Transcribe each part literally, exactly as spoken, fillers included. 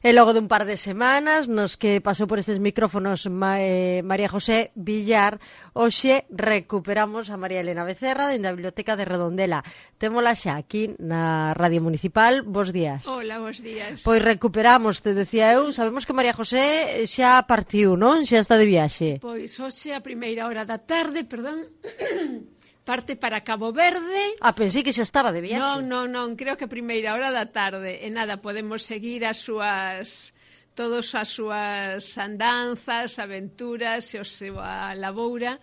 E logo dun par de semanas nos que pasou por estes micrófonos Ma, eh, María José Villar, hoxe recuperamos a María Elena Becerra dende a Biblioteca de Redondela. Témola xa aquí na Radio Municipal. Bos días. Hola, bos días. Pois recuperamos, te decía eu, sabemos que María José xa partiu, non? Xa está de viaxe. Pois hoxe a primeira hora da tarde, perdón, parte para Cabo Verde. Ah, pensei que xa estaba de viaxe. Non, non, non, creo que a primeira hora da tarde. E nada, podemos seguir as súas, todas as súas andanzas, aventuras e a súa laboura,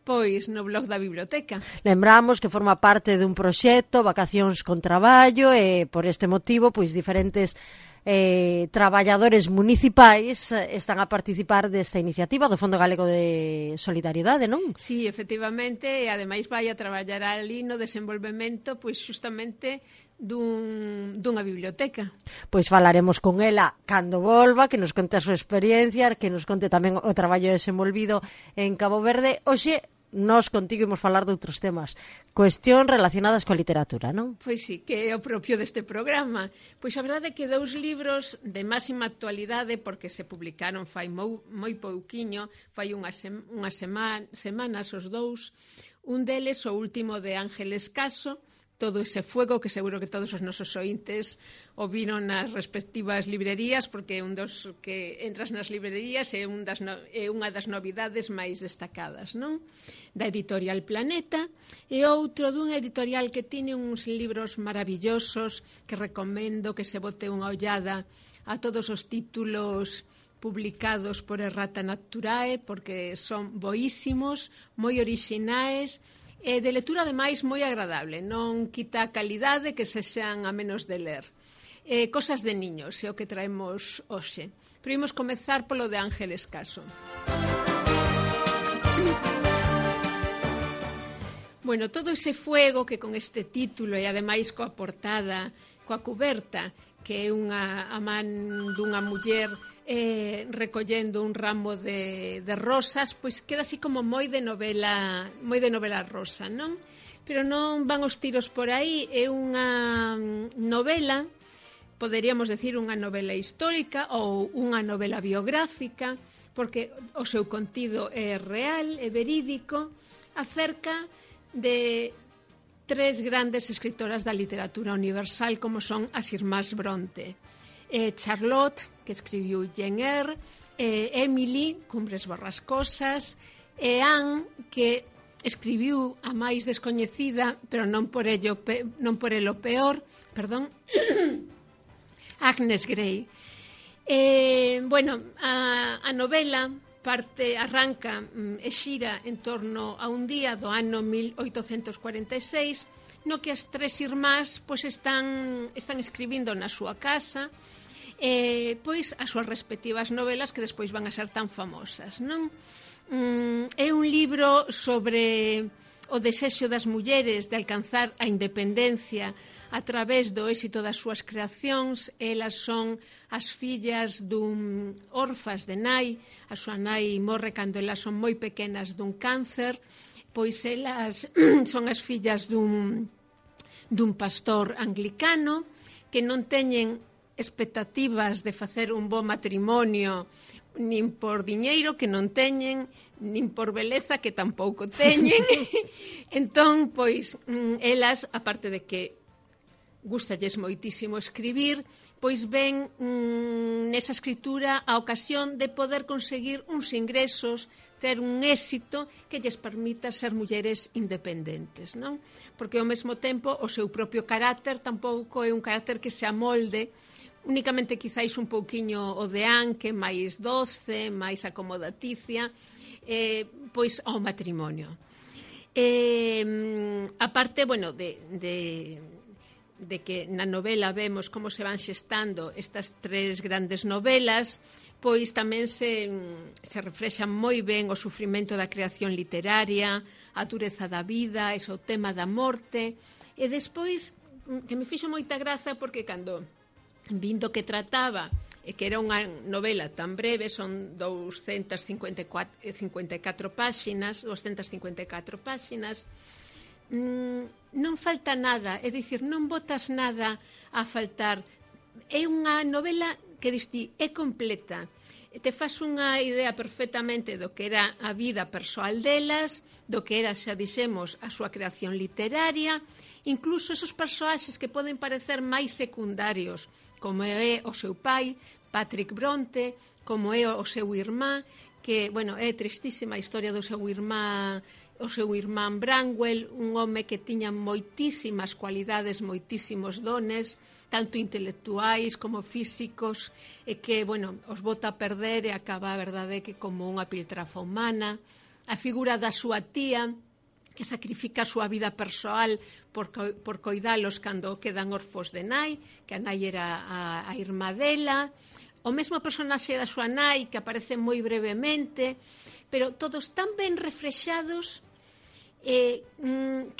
pois no blog da biblioteca. Lembramos que forma parte dun proxecto, Vacacións con Traballo, e por este motivo, pois diferentes eh, traballadores municipais están a participar desta iniciativa do Fondo Galego de Solidariedade, non? Sí, efectivamente, e ademais vai a traballar ali no desenvolvemento, pois xustamente dun, dunha biblioteca. Pois falaremos con ela cando volva, que nos conte a súa experiencia, que nos conte tamén o traballo desenvolvido en Cabo Verde. Hoxe nós contigo imos falar de outros temas, cuestión relacionadas coa literatura, non? Pois sí, que é o propio deste programa. Pois a verdade é que dous libros de máxima actualidade, porque se publicaron fai moi, moi pouquiño, fai unhas, sem, unhas seman, semanas os dous, un deles, o último de Ángeles Caso, Todo ese fuego, que seguro que todos os nosos ointes o viron nas respectivas librerías, porque é un dos que entras nas librerías é, un das no, é unha das novidades máis destacadas, non? Da editorial Planeta, e outro dunha editorial que tiene uns libros maravillosos que recomendo que se bote unha ollada a todos os títulos publicados por Errata Naturae, porque son boísimos, moi orixinais, e de lectura ademais moi agradable, non quita a calidade, que se xean a menos de ler. Eh, cosas de niños é o que traemos hoxe. Pero imos comezar polo de Ángeles Caso. Bueno, todo ese fuego que con este título e ademais coa portada, coa cuberta, que é unha a man dunha muller eh, recollendo un ramo de, de rosas, pois queda así como moi de novela, moi de novela rosa, non? Pero non van os tiros por aí, é unha novela, poderíamos decir unha novela histórica ou unha novela biográfica, porque o seu contido é real, é verídico, acerca de tres grandes escritoras da literatura universal, como son as irmás Bronte. Eh, Charlotte, que escribiu Jane Eyre, eh, Emily, Cumbres Borrascosas, e Anne, que escribiu a máis descoñecida, pero non por ello pe, non por elo peor, perdón, Agnes Grey. Eh, bueno, a, a novela parte, arranca e xira en torno a un día do ano mil oitocentos cuarenta e seis, no que as tres irmás pois están, están escribindo na súa casa eh, pois as súas respectivas novelas que despois van a ser tan famosas, non? Mm, é un libro sobre o desexo das mulleres de alcanzar a independencia a través do éxito das súas creacións. Elas son as fillas dun orfas de nai, a súa nai morre cando elas son moi pequenas dun cáncer, pois elas son as fillas dun, dun pastor anglicano que non teñen expectativas de facer un bo matrimonio nin por diñeiro, que non teñen, nin por beleza, que tampouco teñen. Entón, pois, elas, aparte de que gústalles moitísimo escribir, pois ven mmm, nesa escritura a ocasión de poder conseguir uns ingresos, ter un éxito que lles permita ser mulleres independentes, non? Porque ao mesmo tempo o seu propio carácter tampouco é un carácter que se amolde únicamente quizáis un pouquiño o de Anne, que é máis doce, máis acomodaticia, eh, pois ao matrimonio. Eh, a parte, bueno, de... de de que na novela vemos como se van xestando estas tres grandes novelas, pois tamén se, se reflexan moi ben o sufrimento da creación literaria, a dureza da vida, ese o tema da morte, e despois, que me fixo moita graza, porque cando vindo que trataba, e que era unha novela tan breve, son doscientas cincuenta e catro páxinas, doscientas cincuenta e catro páxinas, non falta nada, é dicir, non botas nada a faltar é unha novela que diste, é completa. Te faz unha idea perfectamente do que era a vida persoal delas, do que era, xa dixemos, a súa creación literaria, incluso esos persoaxes que poden parecer máis secundarios, como é o seu pai, Patrick Bronte, como é o seu irmán, que, bueno, é tristísima a historia do seu irmán, o seu irmán Branwell, un home que tiña moitísimas cualidades, moitísimos dones, tanto intelectuais como físicos, e que, bueno, os bota a perder e acaba, a verdade, que como unha piltrafa humana. A figura da súa tía, que sacrifica a súa vida persoal por, co por coidalos cando quedan orfos de nai, que a nai era a, a irmá dela. O mesmo personaxe da súa nai, que aparece moi brevemente, pero todos tan ben reflexados eh,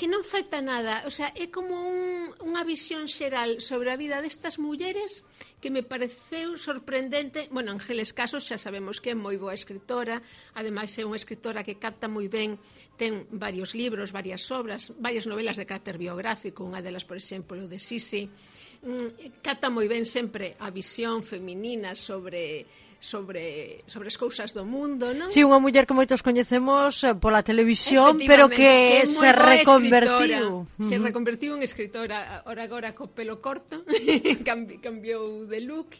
que non falta nada. O sea, é como un, unha visión xeral sobre a vida destas mulleres que me pareceu sorprendente. Bueno, Ángeles Casos xa sabemos que é moi boa escritora, ademais é unha escritora que capta moi ben, ten varios libros, varias obras, varias novelas de carácter biográfico, unha delas, por exemplo, de Sisi. Capta moi ben sempre a visión feminina sobre sobre sobre as cousas do mundo, non? Si, sí, unha muller que moitos coñecemos pola televisión, pero que, que se reconvertiu. Se reconvertiu en escritora, ora agora co pelo corto, cambiou de look.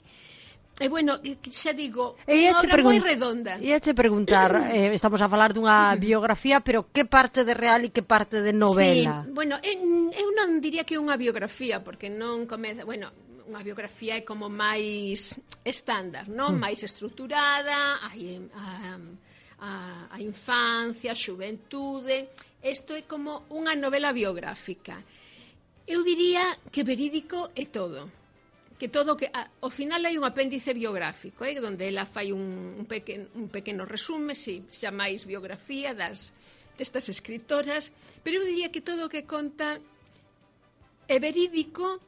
E, bueno, xa digo, unha obra moi redonda. Ia che preguntar, eh, estamos a falar dunha biografía, pero que parte de real e que parte de novela? Sí, bueno, eu non diría que é unha biografía, porque non comeza, bueno, unha biografía é como máis estándar, non? Mm. Máis estruturada, hai a, a, a infancia, a xuventude. Isto é como unha novela biográfica. Eu diría que verídico é todo. Que todo que ao final hai un apéndice biográfico, eh, onde ela fai un, un, pequeno, un pequeno resume, si xa máis biografía das destas escritoras, pero eu diría que todo o que conta é verídico.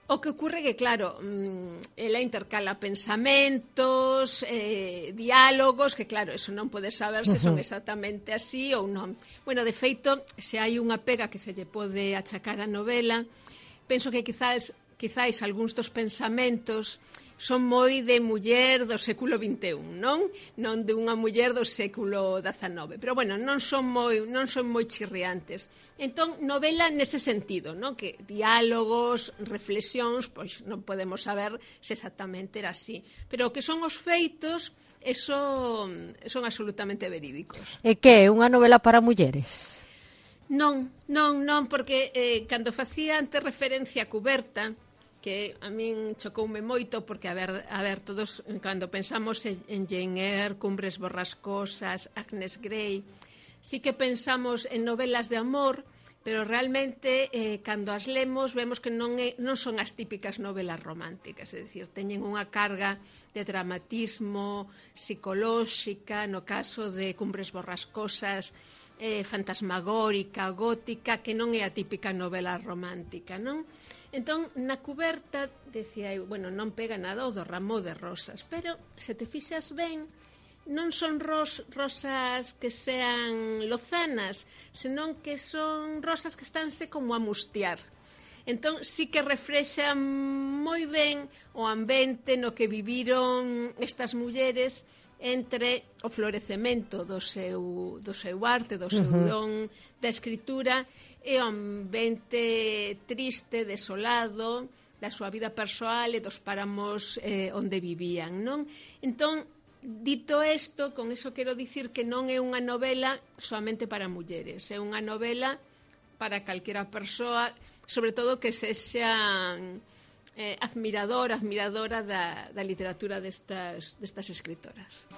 O que ocurre que, claro, ela intercala pensamentos, eh, diálogos, que, claro, eso non pode saber se son exactamente así ou non. Bueno, de feito, se hai unha pega que se lle pode achacar a novela, penso que quizás quizáis algúns dos pensamentos son moi de muller do século vinte e un, non? Non de unha muller do século dezanove. Pero, bueno, non son moi, non son moi chirriantes. Entón, novela nese sentido, non? Que diálogos, reflexións, pois non podemos saber se exactamente era así. Pero o que son os feitos, eso son absolutamente verídicos. E que é unha novela para mulleres? Non, non, non, porque eh, cando facía antes referencia a Cuberta, que a min chocoume moito, porque, a ver, a ver todos, cando pensamos en, en Jane Eyre, Cumbres Borrascosas, Agnes Grey, sí que pensamos en novelas de amor, pero realmente, eh, cando as lemos, vemos que non, é, non son as típicas novelas románticas, é dicir, teñen unha carga de dramatismo psicolóxica, no caso de Cumbres Borrascosas, eh, fantasmagórica, gótica, que non é a típica novela romántica, non? Entón, na cuberta, decía eu, bueno, non pega nada o do ramo de rosas, pero se te fixas ben, non son ros, rosas que sean lozanas, senón que son rosas que estánse como a mustiar. Entón, sí que reflexan moi ben o ambiente no que viviron estas mulleres entre o florecemento do seu, do seu arte, do seu don da escritura, e o ambiente triste, desolado, da súa vida persoal e dos páramos eh, onde vivían, non? Entón, dito isto, con iso quero dicir que non é unha novela somente para mulleres, é unha novela para calquera persoa, sobre todo que sexa eh, admirador, admiradora da, da literatura destas, destas escritoras.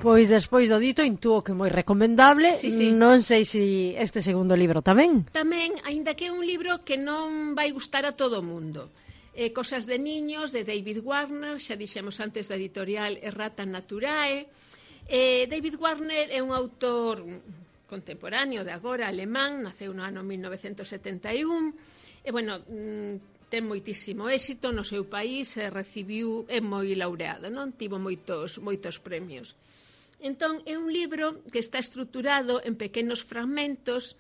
Pois despois do dito intuo que moi recomendable. Sí, sí. Non sei se este segundo libro tamén. Tamén, aínda que é un libro que non vai gustar a todo o mundo. Eh, Cosas de niños, de David Warner, xa dixemos antes da editorial Errata Naturae. Eh, David Warner é un autor contemporáneo de agora, alemán, naceu no ano mil novecentos setenta e un, e, bueno, ten moitísimo éxito no seu país, e recibiu, é moi laureado, non? Tivo moitos, moitos premios. Entón, é un libro que está estruturado en pequenos fragmentos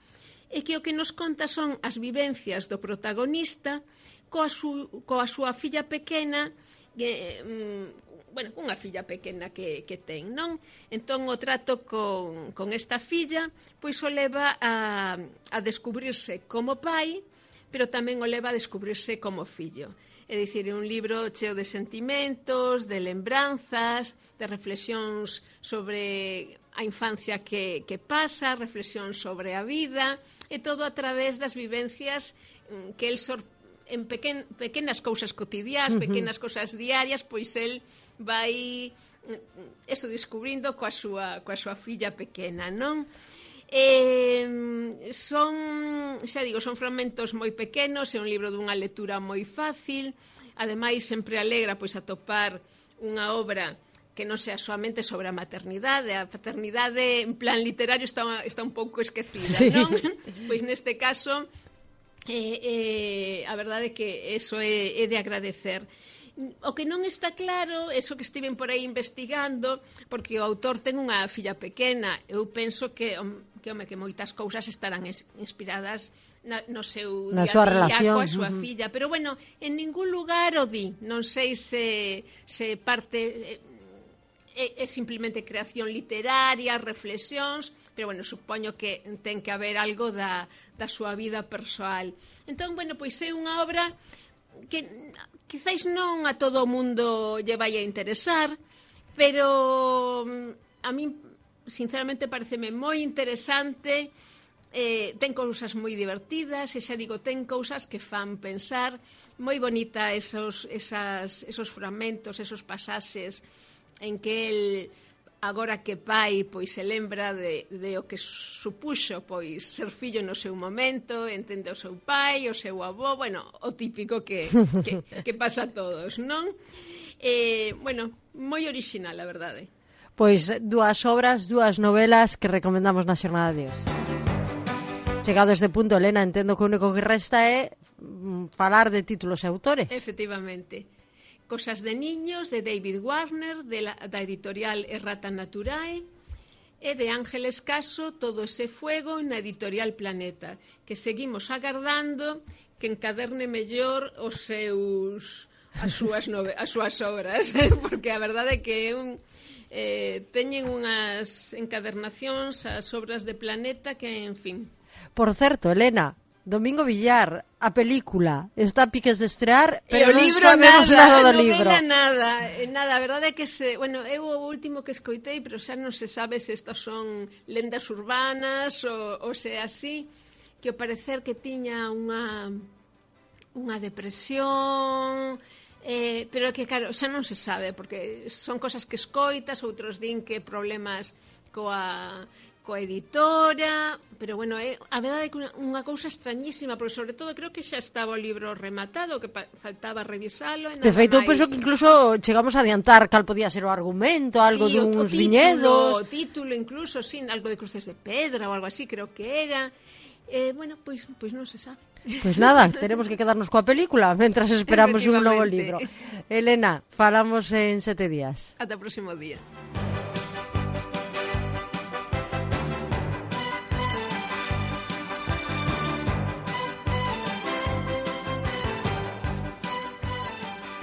e que o que nos conta son as vivencias do protagonista coa, su, coa súa filla pequena, que, mm, bueno, unha filla pequena que, que ten, non? Entón o trato con, con esta filla pois o leva a, a descubrirse como pai, pero tamén o leva a descubrirse como fillo. É dicir, é un libro cheo de sentimentos, de lembranzas, de reflexións sobre a infancia que, que pasa, reflexións sobre a vida, e todo a través das vivencias que el sor, en pequen, pequenas cousas cotidiás, uh-huh. pequenas cousas diarias, pois el vai eso descubrindo coa súa, coa súa filla pequena, non? Eh, son, xa digo, son fragmentos moi pequenos, é un libro dunha lectura moi fácil, ademais sempre alegra pois atopar unha obra que non sea soamente sobre a maternidade. A paternidade en plan literario está, está un pouco esquecida, sí. non? Pois neste caso eh, eh, a verdade é que eso é, é de agradecer. O que non está claro, eso que estiven por aí investigando, porque o autor ten unha filla pequena, eu penso que, que, home, que moitas cousas estarán inspiradas na, no seu na día súa a día relación coa súa uh-huh. filla, pero bueno, en ningún lugar o di, non sei se, se parte é, é simplemente creación literaria, reflexións, pero bueno, supoño que ten que haber algo da, da súa vida persoal. Entón, bueno, pois é unha obra que quizáis non a todo o mundo lle vai a interesar, pero a min sinceramente pareceme moi interesante, eh, ten cousas moi divertidas, e xa digo, ten cousas que fan pensar, moi bonita esos, esas, esos fragmentos, esos pasaxes en que el, agora que pai, pois se lembra de, de o que supuxo pois ser fillo no seu momento, entende o seu pai, o seu avó, bueno, o típico que, que, que pasa a todos, non? Eh, bueno, moi orixinal, a verdade. Pois dúas obras, dúas novelas que recomendamos na xornada de hoxe. Chegado a este punto, Elena, entendo que o único que resta é falar de títulos e autores. Efectivamente. Cosas de niños, de David Warner, de la, da editorial Errata Naturae, e de Ángeles Caso, Todo ese fuego, na editorial Planeta, que seguimos agardando que encaderne mellor os seus as súas nove, as súas obras, porque a verdade é que un, eh, teñen unhas encadernacións as obras de Planeta que, en fin. Por certo, Elena, Domingo Villar, a película está a piques de estrear, pero non libro sabemos nada, nada do libro. Nada, nada, a verdade é que se, bueno, eu o último que escoitei, pero xa non se sabe se estas son lendas urbanas ou, ou se é así, que ao parecer que tiña unha unha depresión, eh, pero que claro, xa non se sabe, porque son cosas que escoitas, outros din que problemas coa coa editora, pero bueno, é, a verdade é que unha, unha cousa extrañísima, porque sobre todo creo que xa estaba o libro rematado, que pa, faltaba revisalo. E nada de feito, máis. penso que incluso chegamos a adiantar cal podía ser o argumento, algo sí, duns o, o título, viñedos. O título, incluso, sí, algo de Cruces de Pedra ou algo así, creo que era. Eh, bueno, pois, pois non se sabe. Pois nada, teremos que quedarnos coa película mentras esperamos un novo libro. Elena, falamos en sete días. Ata o próximo día.